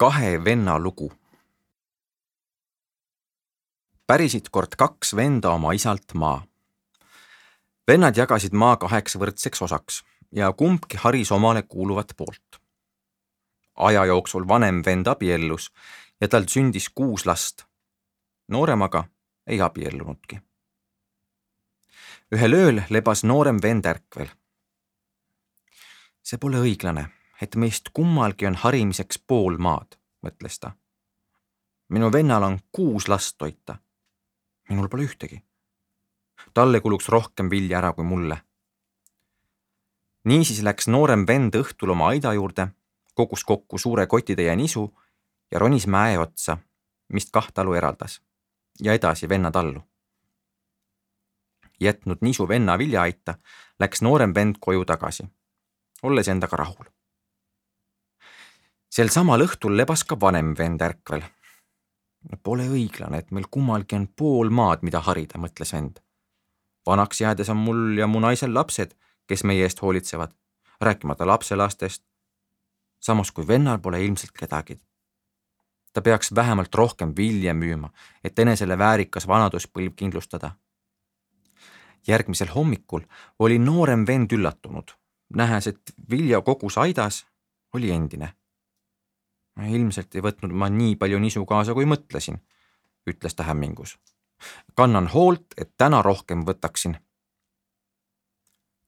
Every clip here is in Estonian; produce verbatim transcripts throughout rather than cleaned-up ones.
Kahe venna lugu. Pärisid kord kaks venda oma isalt maa. Vennad jagasid maa kaheks võrdseks osaks ja kumbki haris omale kuuluvat poolt. Aja jooksul vanem vend abiellus ja tal sündis kuus last. Nooremaga ei abiellunudki. Ühel ööl lebas noorem vend ärkvel. See pole õiglane, et meist kummalgi on harimiseks pool maad, mõtles ta. Minu vennal on kuus last toita. Minul pole ühtegi. Talle kuluks rohkem vilja ära kui mulle. Niisiis läks noorem vend õhtul oma aida juurde, kogus kokku suure kotitäie nisu ja ronis mäe otsa, mist kaht talu eraldas, ja edasi venna tallu. Jätnud nisu venna viljaaita, läks noorem vend koju tagasi, olles endaga rahul. Sel samal õhtul lebas ka vanem vend ärkvel. Pole õiglane, et meil kummalgi on pool maad, mida harida, mõtles vend. Vanaks jäädes on mul ja mu naisel lapsed, kes meie eest hoolitsevad, rääkimata lapselastest. Samas kui vennal pole ilmselt kedagi. Ta peaks vähemalt rohkem vilja müüma, et enesele väärikas vanaduspõlv kindlustada. Järgmisel hommikul oli noorem vend üllatunud, nähes, et vilja kogus aidas oli endine. Ilmselt ei võtnud ma nii palju nisu kaasa, kui mõtlesin, ütles ta hämmingus. Kannan hoolt, et täna rohkem võtaksin.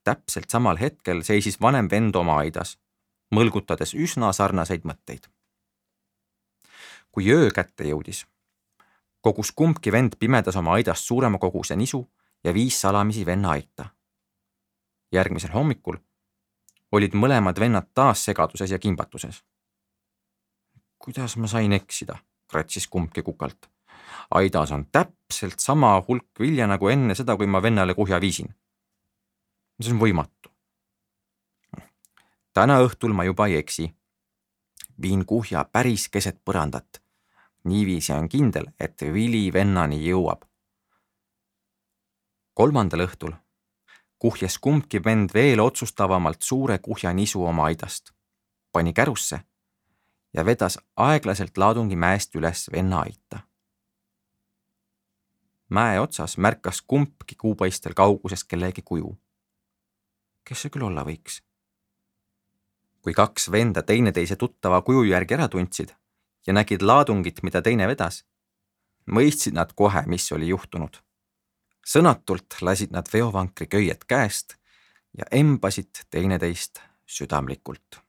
Täpselt samal hetkel seisis vanem vend oma aidas, mõlgutades üsna sarnaseid mõtteid. Kui öö kätte jõudis, kogus kumbki vend pimedas oma aidast suurema koguse nisu ja viis salamisi venna aita. Järgmisel hommikul olid mõlemad vennad taas segaduses ja kimbatuses. Kuidas ma sain eksida, kratsis kumbki kukalt. Aidas on täpselt sama hulk vilja nagu enne seda, kui ma vennale kuhja viisin. See on võimatu. Täna õhtul ma juba ei eksi. Viin kuhja päris keset põrandat. Niiviisi on kindel, et vili vennani jõuab. Kolmandal õhtul kuhjas kumbki vend veel otsustavamalt suure kuhja nisu oma aidast. Pani kärusse ja vedas aeglaselt laadungi mäest üles venna aita. Mäe otsas märkas kumbki kuupaistel kauguses kellegi kuju. Kes see küll olla võiks? Kui kaks venda teineteise tuttava kuju järgi ära tundsid ja nägid laadungit, mida teine vedas, mõistsid nad kohe, mis oli juhtunud. Sõnatult lasid nad veovankri köiet käest ja embasid teineteist südamlikult.